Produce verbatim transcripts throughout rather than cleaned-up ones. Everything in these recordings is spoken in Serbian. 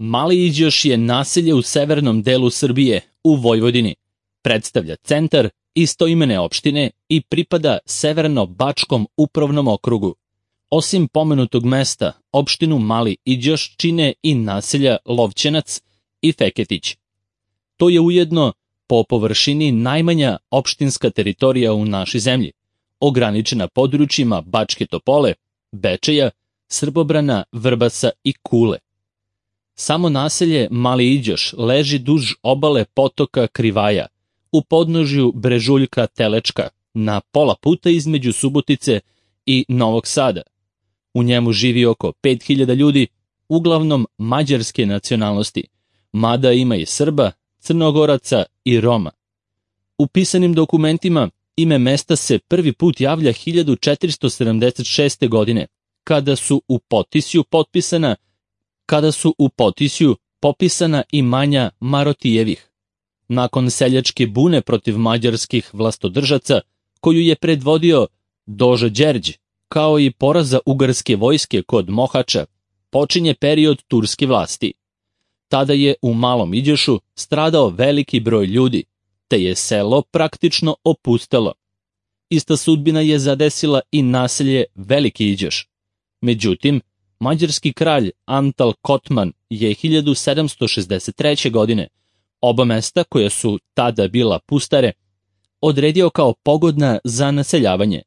Mali Iđoš je naselje u severnom delu Srbije, u Vojvodini. Predstavlja centar istoimene opštine i pripada Severno-Bačkom upravnom okrugu. Osim pomenutog mesta, opštinu Mali Iđoš čine i naselja Lovćenac i Feketić. To je ujedno po površini najmanja opštinska teritorija u našoj zemlji, ograničena područjima Bačke Topole, Bečeja, Srbobrana, Vrbasa i Kule. Samo naselje Mali Iđoš leži duž obale potoka Krivaja, u podnožju brežuljka Telečka, na pola puta između Subotice i Novog Sada. U njemu živi oko pet hiljada ljudi, uglavnom mađarske nacionalnosti, mada ima i Srba, Crnogoraca i Roma. U pisanim dokumentima ime mesta se prvi put javlja hiljadu četiristo sedamdeset šeste. godine, kada su u Potisju potpisana kada su u Potisju popisana imanja Marotijevih. Nakon seljačke bune protiv mađarskih vlastodržaca, koju je predvodio Doža Đerđ, kao i poraza ugarske vojske kod Mohača, počinje period turske vlasti. Tada je u Malom Iđošu stradao veliki broj ljudi, te je selo praktično opustelo. Ista sudbina je zadesila i naselje Veliki Iđoš. Međutim, mađarski kralj Antal Kotman je hiljadu sedamsto šezdeset treće. godine oba mesta, koja su tada bila pustare, odredio kao pogodna za naseljavanje,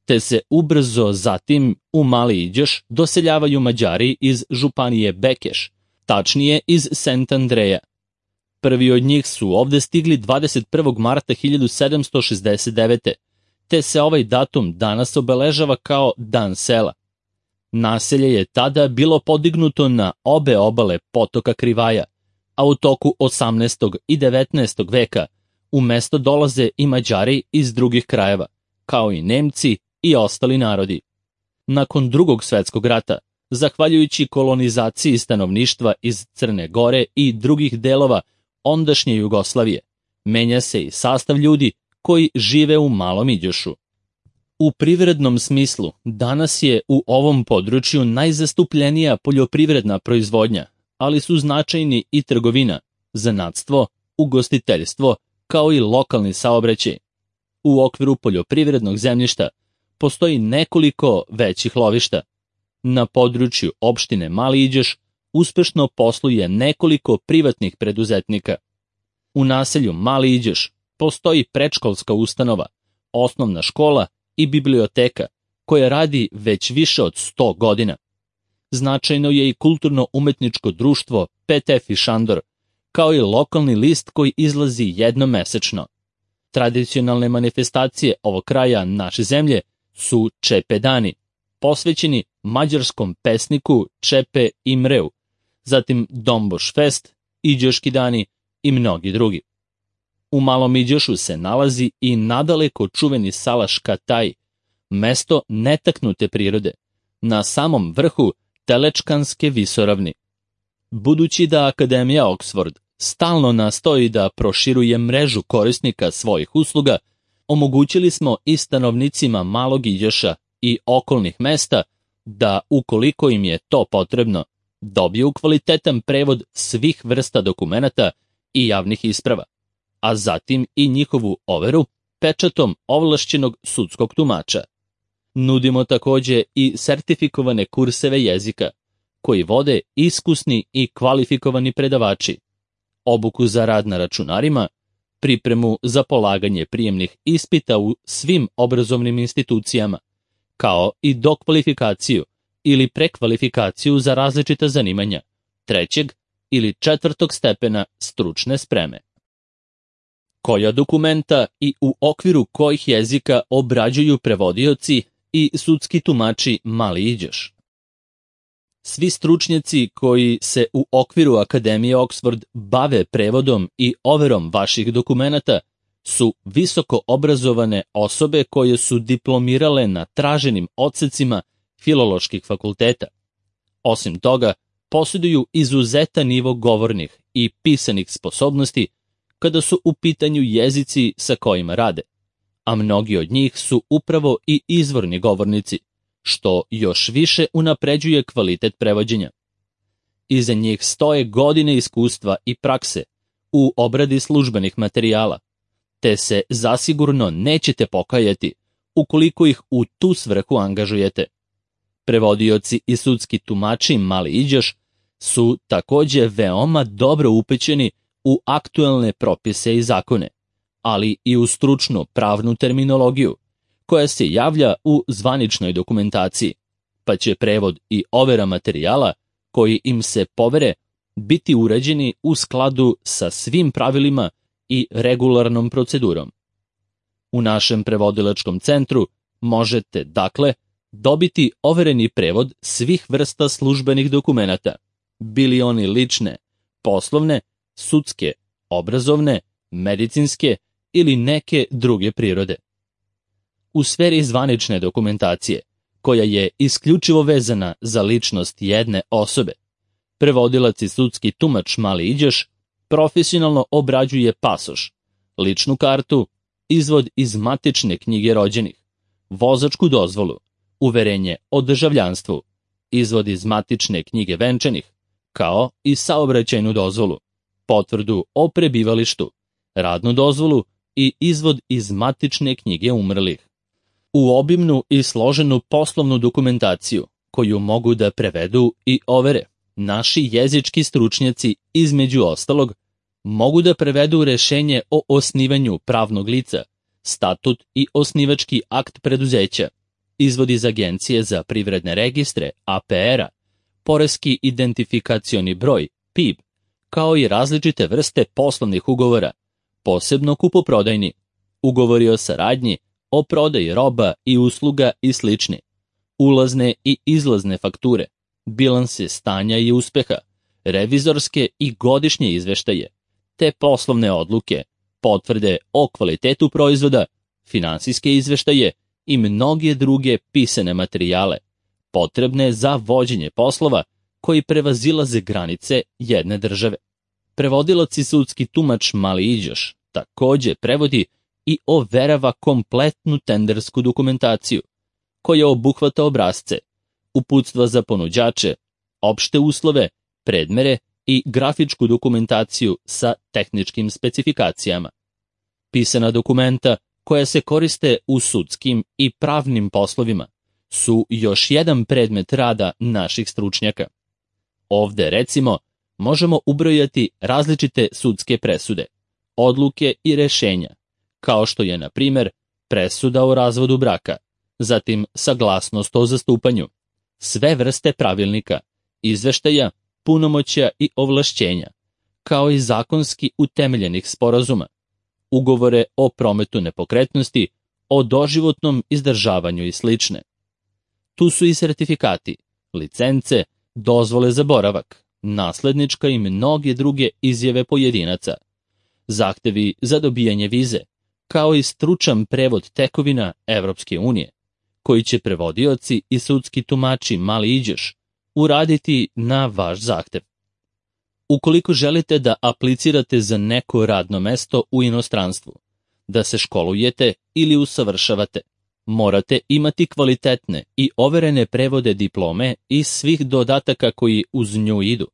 te se ubrzo zatim u Mali Iđoš doseljavaju Mađari iz županije Bekeš, tačnije iz Sent Andreja. Prvi od njih su ovde stigli dvadeset prvog marta hiljadu sedamsto šezdeset devete. te se ovaj datum danas obeležava kao Dan sela. Naselje je tada bilo podignuto na obe obale potoka Krivaja, a u toku osamnaestog i devetnaestog veka u mesto dolaze i Mađari iz drugih krajeva, kao i Nemci i ostali narodi. Nakon Drugog svetskog rata, zahvaljujući kolonizaciji stanovništva iz Crne Gore i drugih delova ondašnje Jugoslavije, menja se i sastav ljudi koji žive u Malom Iđošu. U privrednom smislu, danas je u ovom području najzastupljenija poljoprivredna proizvodnja, ali su značajni i trgovina, zanatstvo, ugostiteljstvo, kao i lokalni saobraćaj. U okviru poljoprivrednog zemljišta postoji nekoliko većih lovišta. Na području opštine Mali Iđoš uspešno posluje nekoliko privatnih preduzetnika. U naselju Mali Iđoš postoji predškolska ustanova, osnovna škola i biblioteka, koja radi već više od sto godina. Značajno je i kulturno-umetničko društvo P T F i Šandor, kao i lokalni list koji izlazi jednom mesečno. Tradicionalne manifestacije ovog kraja naše zemlje su Čepe dani, posvećeni mađarskom pesniku Čepe Imreu, zatim Domboš fest, Iđoški dani i mnogi drugi. U Malom Iđošu se nalazi i nadaleko čuveni Salaš Kataj, mesto netaknute prirode, na samom vrhu Telečkanske visoravni. Budući da Akademija Oxford stalno nastoji da proširuje mrežu korisnika svojih usluga, omogućili smo i stanovnicima Malog Iđoša i okolnih mesta da, ukoliko im je to potrebno, dobiju kvalitetan prevod svih vrsta dokumenata i javnih isprava, a zatim i njihovu overu pečatom ovlašćenog sudskog tumača. Nudimo takođe i sertifikovane kurseve jezika, koji vode iskusni i kvalifikovani predavači, obuku za rad na računarima, pripremu za polaganje prijemnih ispita u svim obrazovnim institucijama, kao i dokvalifikaciju ili prekvalifikaciju za različita zanimanja, trećeg ili četvrtog stepena stručne spreme. Koja dokumenta i u okviru kojih jezika obrađuju prevodioci i sudski tumači Mali Iđoš? Svi stručnjaci koji se u okviru Akademije Oxford bave prevodom i overom vaših dokumenata su visoko obrazovane osobe koje su diplomirale na traženim odsecima filoloških fakulteta. Osim toga, posjeduju izuzetan nivo govornih i pisanih sposobnosti kada su u pitanju jezici sa kojima rade, a mnogi od njih su upravo i izvorni govornici, što još više unapređuje kvalitet prevođenja. Iza njih stoje godine iskustva i prakse u obradi službenih materijala, te se zasigurno nećete pokajati ukoliko ih u tu svrhu angažujete. Prevodioci i sudski tumači mali iđoš su takođe veoma dobro upećeni u aktuelne propise i zakone, ali i u stručnu pravnu terminologiju, koja se javlja u zvaničnoj dokumentaciji, pa će prevod i overa materijala koji im se povere biti uređeni u skladu sa svim pravilima i regularnom procedurom. U našem prevodilačkom centru možete, dakle, dobiti overeni prevod svih vrsta službenih dokumenata, bili oni lične, poslovne, sudske, obrazovne, medicinske ili neke druge prirode. U sferi zvanične dokumentacije, koja je isključivo vezana za ličnost jedne osobe, prevodilac i sudski tumač mali iđoš profesionalno obrađuje pasoš, ličnu kartu, izvod iz matične knjige rođenih, vozačku dozvolu, uverenje o državljanstvu, izvod iz matične knjige venčanih, kao i saobraćajnu dozvolu, potvrdu o prebivalištu, radnu dozvolu i izvod iz matične knjige umrlih. U obimnu i složenu poslovnu dokumentaciju, koju mogu da prevedu i overe, naši jezički stručnjaci, između ostalog, mogu da prevedu rešenje o osnivanju pravnog lica, statut i osnivački akt preduzeća, izvod iz Agencije za privredne registre, A P R-a, poreski identifikacioni broj, P I B, kao i različite vrste poslovnih ugovora, posebno kupoprodajni, ugovori o saradnji, o prodaji roba i usluga i slični, ulazne i izlazne fakture, bilanse stanja i uspeha, revizorske i godišnje izveštaje, te poslovne odluke, potvrde o kvalitetu proizvoda, finansijske izveštaje i mnoge druge pisane materijale, potrebne za vođenje poslova koji prevazilaze granice jedne države. Prevodilac i sudski tumač mali iđoš takođe prevodi i overava kompletnu tendersku dokumentaciju, koja obuhvata obrasce, uputstva za ponuđače, opšte uslove, predmere i grafičku dokumentaciju sa tehničkim specifikacijama. Pisana dokumenta koja se koriste u sudskim i pravnim poslovima su još jedan predmet rada naših stručnjaka. Ovde, recimo, možemo ubrojati različite sudske presude, odluke i rešenja, kao što je, na primer, presuda o razvodu braka, zatim saglasnost o zastupanju, sve vrste pravilnika, izveštaja, punomoćja i ovlašćenja, kao i zakonski utemeljenih sporazuma, ugovore o prometu nepokretnosti, o doživotnom izdržavanju i slične. Tu su i sertifikati, licence, dozvole za boravak, naslednička i mnoge druge izjave pojedinaca, zahtevi za dobijanje vize, kao i stručan prevod tekovina Evropske unije, koji će prevodioci i sudski tumači mali iđoš uraditi na vaš zahtev. Ukoliko želite da aplicirate za neko radno mesto u inostranstvu, da se školujete ili usavršavate, morate imati kvalitetne i overene prevode diplome i svih dodataka koji uz nju idu,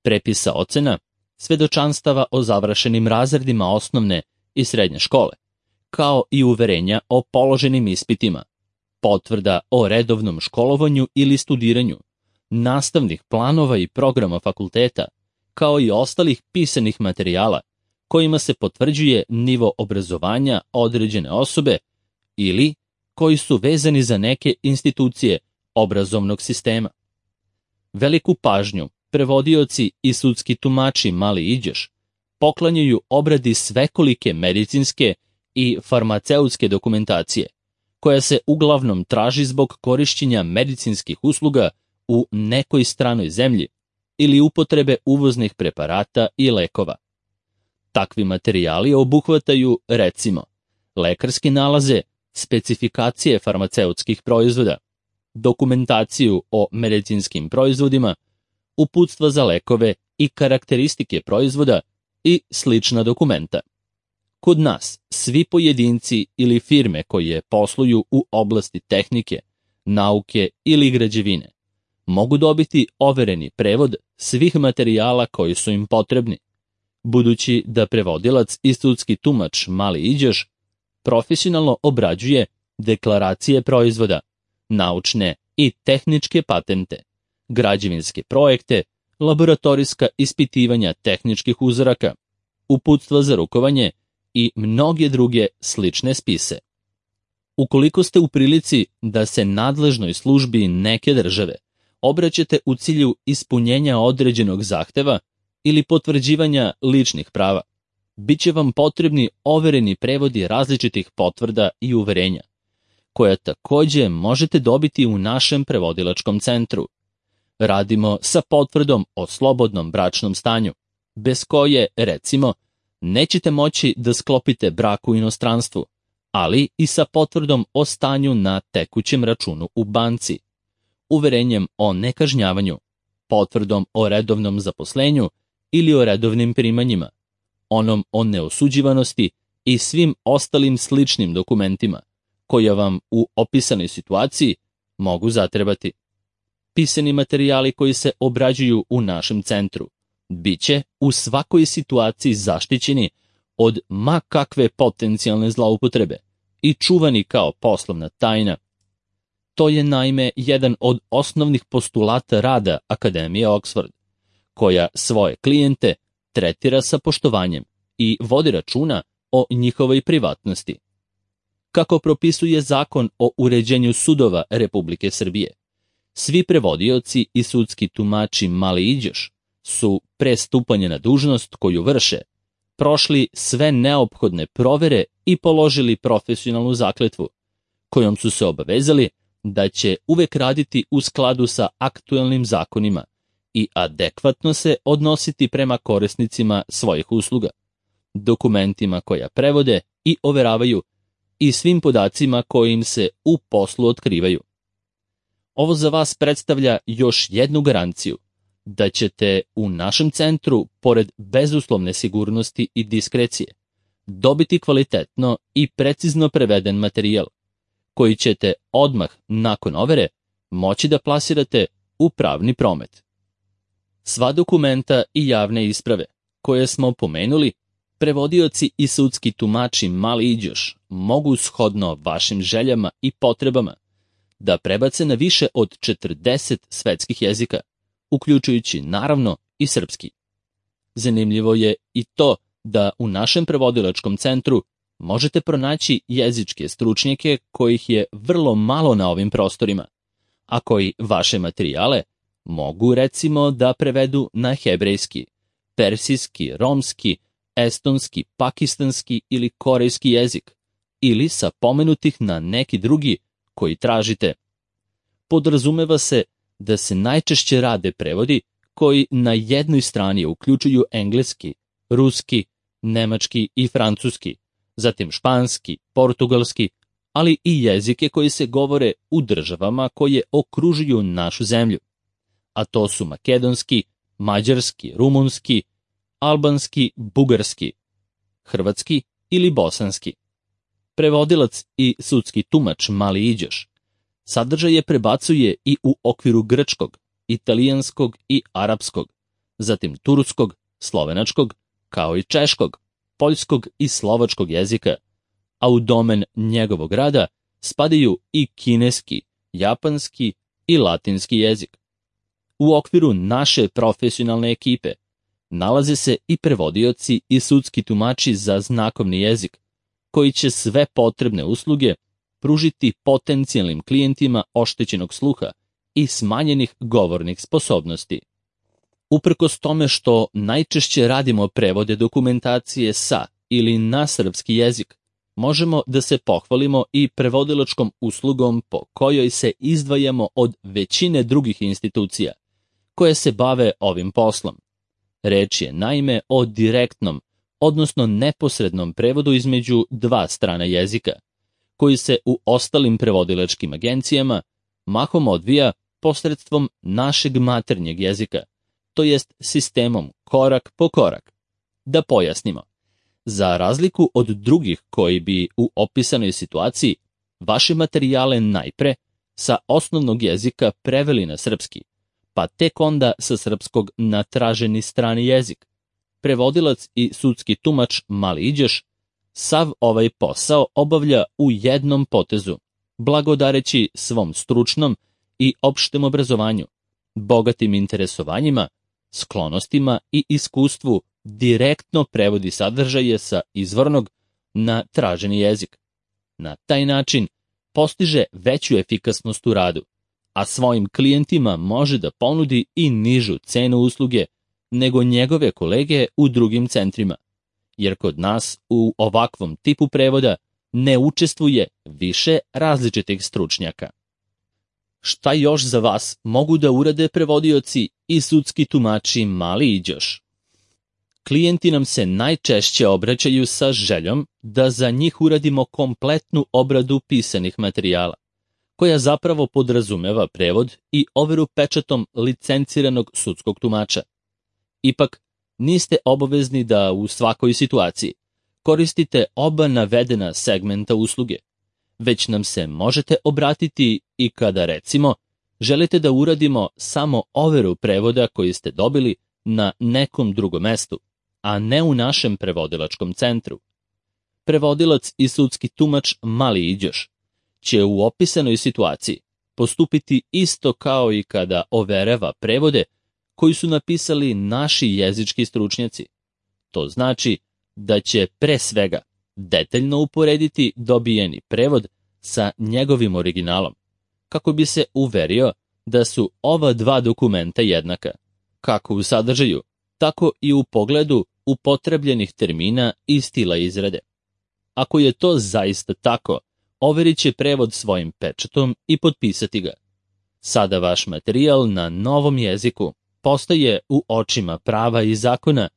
prepisa ocena, svedočanstava o završenim razredima osnovne i srednje škole, kao i uverenja o položenim ispitima, potvrda o redovnom školovanju ili studiranju, nastavnih planova i programa fakulteta, kao i ostalih pisanih materijala kojima se potvrđuje nivo obrazovanja određene osobe ili koji su vezani za neke institucije obrazovnog sistema. Veliku pažnju prevodioci i sudski tumači mali iđoš poklanjaju obradi svekolike medicinske i farmaceutske dokumentacije, koja se uglavnom traži zbog korišćenja medicinskih usluga u nekoj stranoj zemlji ili upotrebe uvoznih preparata i lekova. Takvi materijali obuhvataju, recimo, lekarske nalaze, specifikacije farmaceutskih proizvoda, dokumentaciju o medicinskim proizvodima, uputstva za lekove i karakteristike proizvoda i slična dokumenta. Kod nas svi pojedinci ili firme koje posluju u oblasti tehnike, nauke ili građevine mogu dobiti overeni prevod svih materijala koji su im potrebni, budući da prevodilac i sudski tumač Mali Iđoš profesionalno obrađuje deklaracije proizvoda, naučne i tehničke patente, građevinske projekte, laboratorijska ispitivanja tehničkih uzoraka, uputstva za rukovanje i mnoge druge slične spise. Ukoliko ste u prilici da se nadležnoj službi neke države obraćate u cilju ispunjenja određenog zahteva ili potvrđivanja ličnih prava, bit će vam potrebni overeni prevodi različitih potvrda i uverenja, koja takođe možete dobiti u našem prevodilačkom centru. Radimo sa potvrdom o slobodnom bračnom stanju, bez koje, recimo, nećete moći da sklopite brak u inostranstvu, ali i sa potvrdom o stanju na tekućem računu u banci, uverenjem o nekažnjavanju, potvrdom o redovnom zaposlenju ili o redovnim primanjima, onom o neosuđivanosti i svim ostalim sličnim dokumentima, koja vam u opisanoj situaciji mogu zatrebati. Pisani materijali koji se obrađuju u našem centru biće u svakoj situaciji zaštićeni od ma kakve potencijalne zloupotrebe i čuvani kao poslovna tajna. To je naime jedan od osnovnih postulata rada Akademije Oxford, koja svoje klijente tretira sa poštovanjem i vodi računa o njihovoj privatnosti. Kako propisuje Zakon o uređenju sudova Republike Srbije, svi prevodioci i sudski tumači Mali Iđoš su pre stupanja na dužnost koju vrše prošli sve neophodne provere i položili profesionalnu zakletvu, kojom su se obavezali da će uvek raditi u skladu sa aktuelnim zakonima i adekvatno se odnositi prema korisnicima svojih usluga, dokumentima koja prevode i overavaju i svim podacima koji im se u poslu otkrivaju. Ovo za vas predstavlja još jednu garanciju da ćete u našem centru, pored bezuslovne sigurnosti i diskrecije, dobiti kvalitetno i precizno preveden materijal, koji ćete odmah nakon overe moći da plasirate u pravni promet. Sva dokumenta i javne isprave koje smo pomenuli, prevodioci i sudski tumači Mali Iđoš mogu shodno vašim željama i potrebama da prebace na više od četrdeset svetskih jezika, uključujući naravno i srpski. Zanimljivo je i to da u našem prevodilačkom centru možete pronaći jezičke stručnjake kojih je vrlo malo na ovim prostorima, a koji vaše materijale mogu recimo da prevedu na hebrejski, persijski, romski, estonski, pakistanski ili korejski jezik, ili sa pomenutih na neki drugi koji tražite. Podrazumeva se da se najčešće rade prevodi koji na jednoj strani uključuju engleski, ruski, nemački i francuski, zatim španski, portugalski, ali i jezike koji se govore u državama koje okružuju našu zemlju, a to su makedonski, mađarski, rumunski, albanski, bugarski, hrvatski ili bosanski. Prevodilac i sudski tumač Mali Iđoš sadržaje prebacuje i u okviru grčkog, italijanskog i arapskog, zatim turskog, slovenačkog, kao i češkog, poljskog i slovačkog jezika, a u domen njegovog rada spadaju i kineski, japanski i latinski jezik. U okviru naše profesionalne ekipe nalaze se i prevodioci i sudski tumači za znakovni jezik, koji će sve potrebne usluge pružiti potencijalnim klijentima oštećenog sluha i smanjenih govornih sposobnosti. Uprkos tome što najčešće radimo prevode dokumentacije sa ili na srpski jezik, možemo da se pohvalimo i prevodilačkom uslugom po kojoj se izdvajamo od većine drugih institucija koje se bave ovim poslom. Reč je naime o direktnom, odnosno neposrednom prevodu između dva strana jezika, koji se u ostalim prevodilačkim agencijama mahom odvija posredstvom našeg maternjeg jezika, to jest sistemom korak po korak. Da pojasnimo, za razliku od drugih koji bi u opisanoj situaciji vaše materijale najpre sa osnovnog jezika preveli na srpski, pa tek onda sa srpskog na traženi strani jezik. Prevodilac i sudski tumač Mali Iđoš sav ovaj posao obavlja u jednom potezu, blagodareći svom stručnom i opštem obrazovanju, bogatim interesovanjima, sklonostima i iskustvu direktno prevodi sadržaje sa izvornog na traženi jezik. Na taj način postiže veću efikasnost u radu, a svojim klijentima može da ponudi i nižu cenu usluge nego njegove kolege u drugim centrima, jer kod nas u ovakvom tipu prevoda ne učestvuje više različitih stručnjaka. Šta još za vas mogu da urade prevodioci i sudski tumači Mali Iđoš? Klijenti nam se najčešće obraćaju sa željom da za njih uradimo kompletnu obradu pisanih materijala, koja zapravo podrazumeva prevod i overu pečatom licenciranog sudskog tumača. Ipak, niste obavezni da u svakoj situaciji koristite oba navedena segmenta usluge, već nam se možete obratiti i kada, recimo, želite da uradimo samo overu prevoda koji ste dobili na nekom drugom mestu, a ne u našem prevodilačkom centru. Prevodilac i sudski tumač Mali Iđoš će u opisanoj situaciji postupiti isto kao i kada overava prevode koji su napisali naši jezički stručnjaci. To znači da će pre svega detaljno uporediti dobijeni prevod sa njegovim originalom, kako bi se uverio da su ova dva dokumenta jednaka, kako u sadržaju, tako i u pogledu upotrebljenih termina i stila izrade. Ako je to zaista tako, overit će prevod svojim pečatom i potpisati ga. Sada vaš materijal na novom jeziku postaje u očima prava i zakona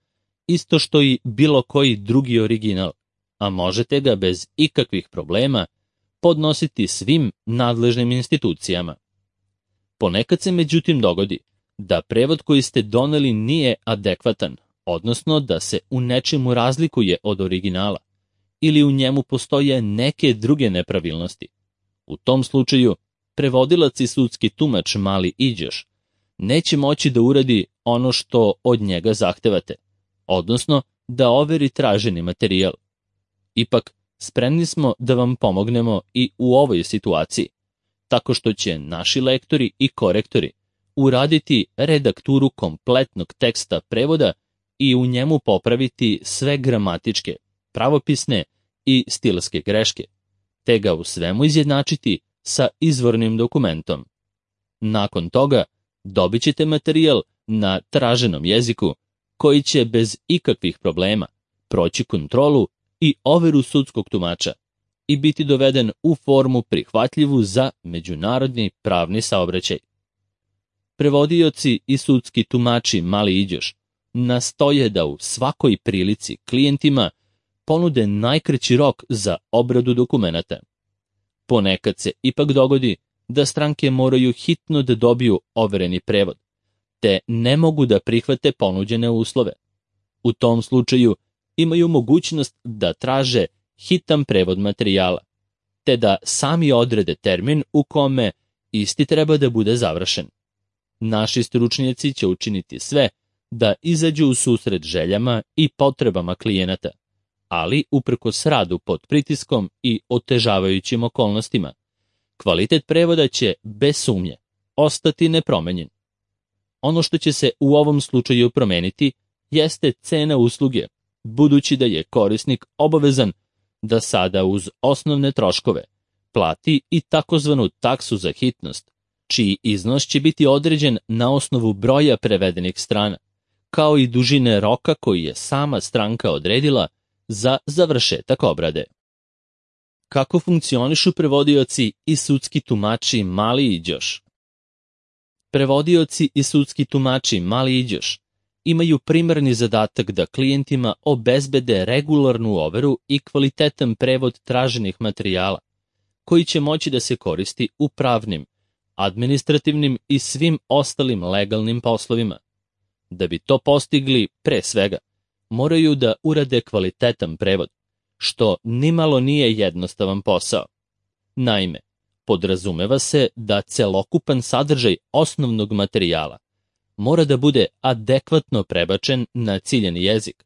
isto što i bilo koji drugi original, a možete ga bez ikakvih problema podnositi svim nadležnim institucijama. Ponekad se međutim dogodi da prevod koji ste doneli nije adekvatan, odnosno da se u nečemu razlikuje od originala, ili u njemu postoje neke druge nepravilnosti. U tom slučaju, prevodilac i sudski tumač Mali Iđoš neće moći da uradi ono što od njega zahtevate, odnosno da overi traženi materijal. Ipak, spremni smo da vam pomognemo i u ovoj situaciji, tako što će naši lektori i korektori uraditi redakturu kompletnog teksta prevoda i u njemu popraviti sve gramatičke, pravopisne i stilske greške, te ga u svemu izjednačiti sa izvornim dokumentom. Nakon toga dobit ćete materijal na traženom jeziku koji će bez ikakvih problema proći kontrolu i overu sudskog tumača i biti doveden u formu prihvatljivu za međunarodni pravni saobraćaj. Prevodioci i sudski tumači Mali Iđoš nastoje da u svakoj prilici klijentima ponude najkraći rok za obradu dokumenata. Ponekad se ipak dogodi da stranke moraju hitno da dobiju overeni prevod, te ne mogu da prihvate ponuđene uslove. U tom slučaju imaju mogućnost da traže hitan prevod materijala, te da sami odrede termin u kome isti treba da bude završen. Naši stručnjaci će učiniti sve da izađu u susret željama i potrebama klijenata, ali uprkos radu pod pritiskom i otežavajućim okolnostima, kvalitet prevoda će bez sumnje ostati nepromenjen. Ono što će se u ovom slučaju promeniti jeste cena usluge, budući da je korisnik obavezan da sada uz osnovne troškove plati i takozvanu taksu za hitnost, čiji iznos će biti određen na osnovu broja prevedenih strana, kao i dužine roka koji je sama stranka odredila za završetak obrade. Kako funkcionišu prevodioci i sudski tumači Mali Iđoš? Prevodioci i sudski tumači Mali Iđoš imaju primarni zadatak da klijentima obezbede regularnu overu i kvalitetan prevod traženih materijala, koji će moći da se koristi u pravnim, administrativnim i svim ostalim legalnim poslovima. Da bi to postigli, pre svega, moraju da urade kvalitetan prevod, što nimalo nije jednostavan posao. Naime, podrazumeva se da celokupan sadržaj osnovnog materijala mora da bude adekvatno prebačen na ciljani jezik,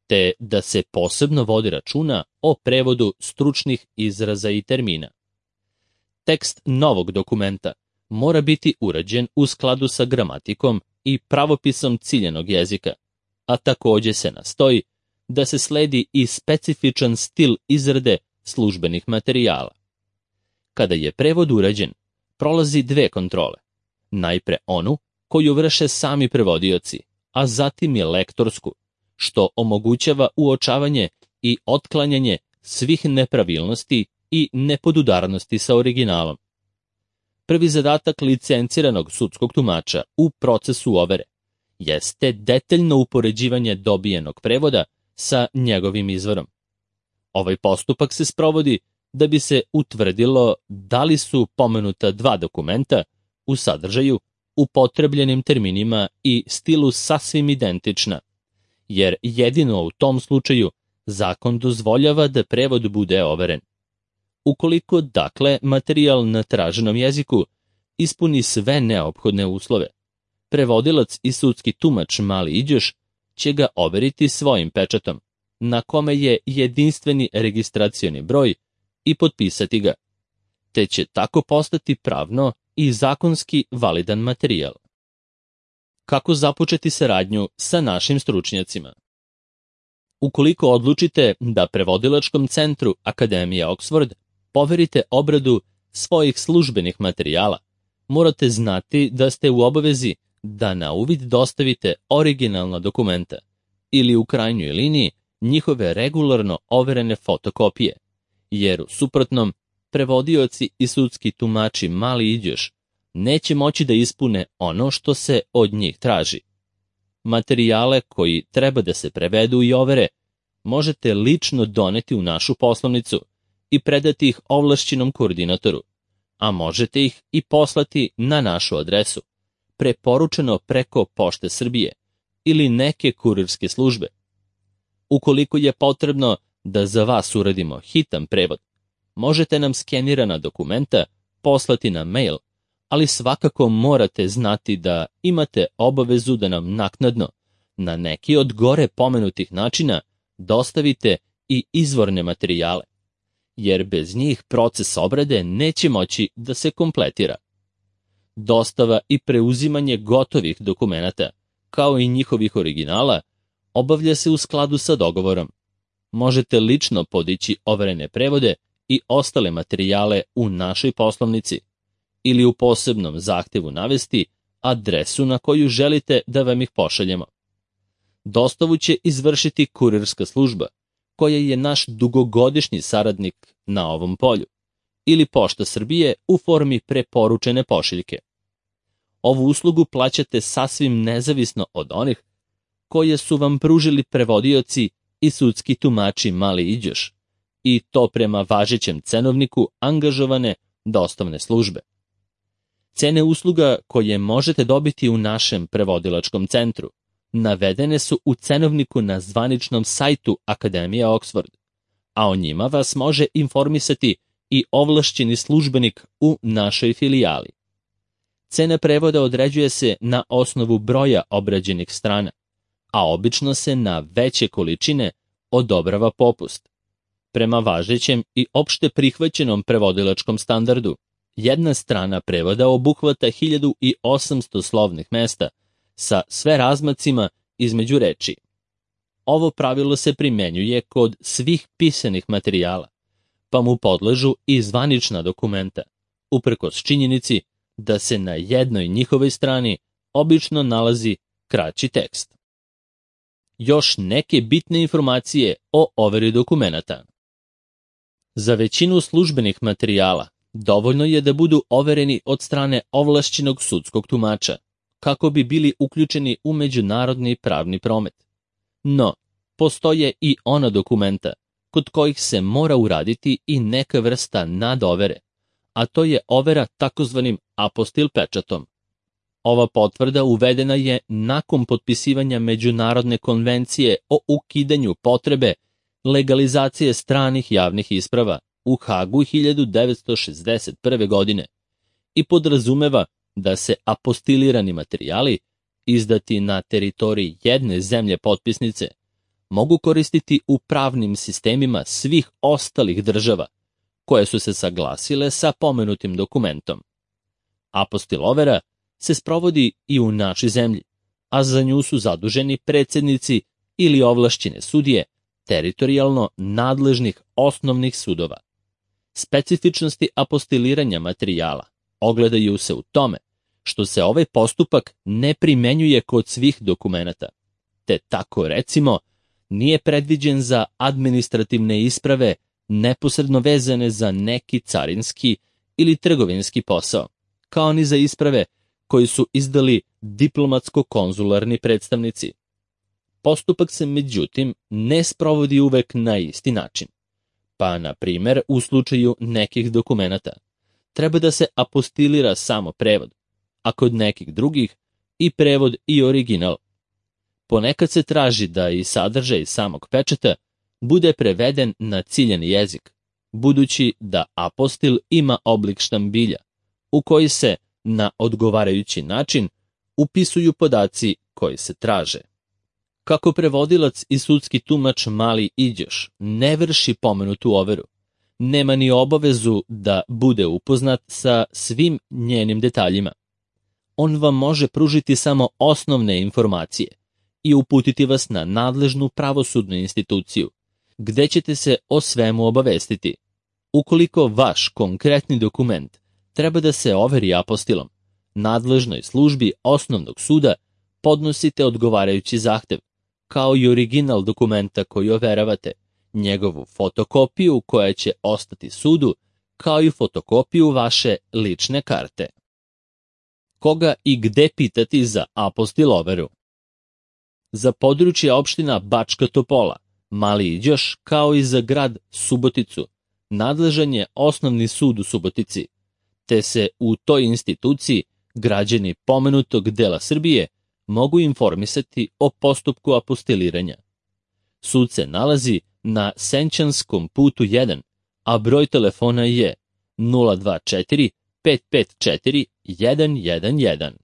te da se posebno vodi računa o prevodu stručnih izraza i termina. Tekst novog dokumenta mora biti urađen u skladu sa gramatikom i pravopisom ciljanog jezika, a takođe se nastoji da se sledi i specifičan stil izrade službenih materijala. Kada je prevod urađen, prolazi dve kontrole. Najpre onu koju vrše sami prevodioci, a zatim je lektorsku, što omogućava uočavanje i otklanjanje svih nepravilnosti i nepodudarnosti sa originalom. Prvi zadatak licenciranog sudskog tumača u procesu overe jeste detaljno upoređivanje dobijenog prevoda sa njegovim izvorom. Ovaj postupak se sprovodi da bi se utvrdilo da li su pomenuta dva dokumenta u sadržaju, upotrebljenim terminima i stilu sasvim identična, jer jedino u tom slučaju zakon dozvoljava da prevod bude overen. Ukoliko, dakle, materijal na traženom jeziku ispuni sve neophodne uslove, prevodilac i sudski tumač Mali Iđoš će ga overiti svojim pečatom, na kome je jedinstveni registracioni broj, i potpisati ga, te će tako postati pravno i zakonski validan materijal. Kako započeti saradnju sa našim stručnjacima? Ukoliko odlučite da prevodilačkom centru Akademije Oxford poverite obradu svojih službenih materijala, morate znati da ste u obavezi da na uvid dostavite originalna dokumenta ili u krajnjoj liniji njihove regularno overene fotokopije, jer u suprotnom prevodioci i sudski tumači Mali Iđoš neće moći da ispune ono što se od njih traži. Materijale koji treba da se prevedu i overe možete lično doneti u našu poslovnicu i predati ih ovlašćenom koordinatoru, a možete ih i poslati na našu adresu, preporučeno preko Pošte Srbije ili neke kurirske službe. Ukoliko je potrebno da za vas uradimo hitan prevod, možete nam skenirana dokumenta poslati na mail, ali svakako morate znati da imate obavezu da nam naknadno, na neki od gore pomenutih načina, dostavite i izvorne materijale, jer bez njih proces obrade neće moći da se kompletira. Dostava i preuzimanje gotovih dokumenata, kao i njihovih originala, obavlja se u skladu sa dogovorom. Možete lično podići overene prevode i ostale materijale u našoj poslovnici ili u posebnom zahtevu navesti adresu na koju želite da vam ih pošaljemo. Dostavu će izvršiti kurirska služba, koja je naš dugogodišnji saradnik na ovom polju, ili Pošta Srbije u formi preporučene pošiljke. Ovu uslugu plaćate sasvim nezavisno od onih koje su vam pružili prevodioci i sudski tumači Mali Iđoš, i to prema važećem cenovniku angažovane dostavne službe. Cene usluga koje možete dobiti u našem prevodilačkom centru navedene su u cenovniku na zvaničnom sajtu Akademije Oxford, a o njima vas može informisati i ovlašćeni službenik u našoj filijali. Cena prevoda određuje se na osnovu broja obrađenih strana, a obično se na veće količine odobrava popust. Prema važećem i opšte prihvaćenom prevodilačkom standardu, jedna strana prevoda obuhvata hiljadu osamsto slovnih mesta sa sve razmacima između reči. Ovo pravilo se primenjuje kod svih pisanih materijala, pa mu podležu i zvanična dokumenta, uprkos činjenici da se na jednoj njihovoj strani obično nalazi kraći tekst. Još neke bitne informacije o overi dokumenata. Za većinu službenih materijala dovoljno je da budu overeni od strane ovlašćenog sudskog tumača, kako bi bili uključeni u međunarodni pravni promet. No, postoje i ona dokumenta kod kojih se mora uraditi i neka vrsta nadovere, a to je overa takozvanim apostil pečatom. Ova potvrda uvedena je nakon potpisivanja Međunarodne konvencije o ukidanju potrebe legalizacije stranih javnih isprava u Hagu hiljadu devetsto šezdeset prve. godine i podrazumeva da se apostilirani materijali izdati na teritoriji jedne zemlje potpisnice, mogu koristiti u pravnim sistemima svih ostalih država koje su se saglasile sa pomenutim dokumentom. Apostil overa se sprovodi i u našoj zemlji, a za nju su zaduženi predsednici ili ovlašćene sudije teritorijalno nadležnih osnovnih sudova. Specifičnosti apostiliranja materijala ogledaju se u tome što se ovaj postupak ne primenjuje kod svih dokumenata, te tako recimo nije predviđen za administrativne isprave neposredno vezane za neki carinski ili trgovinski posao, kao ni za isprave koji su izdali diplomatsko-konzularni predstavnici. Postupak se međutim ne sprovodi uvek na isti način, pa na primer u slučaju nekih dokumenata treba da se apostilira samo prevod, a kod nekih drugih i prevod i original. Ponekad se traži da i sadržaj samog pečata bude preveden na ciljani jezik, budući da apostil ima oblik štambilja, u koji se na odgovarajući način upisuju podaci koji se traže. Kako prevodilac i sudski tumač Mali Iđoš ne vrši pomenutu overu, nema ni obavezu da bude upoznat sa svim njenim detaljima. On vam može pružiti samo osnovne informacije i uputiti vas na nadležnu pravosudnu instituciju, gde ćete se o svemu obavestiti. Ukoliko vaš konkretni dokument treba da se overi apostilom, nadležnoj službi osnovnog suda podnosite odgovarajući zahtev, kao i original dokumenta koji overavate, njegovu fotokopiju koja će ostati sudu, kao i fotokopiju vaše lične karte. Koga i gde pitati za apostil overu? Za područje opština Bačka Topola, Mali Iđoš, kao i za grad Suboticu, nadležan je osnovni sud u Subotici, te se u toj instituciji građani pomenutog dela Srbije mogu informisati o postupku apostiliranja. Sud se nalazi na Senčanskom putu jedan, a broj telefona je nula dva četiri pet pet četiri jedan jedan jedan.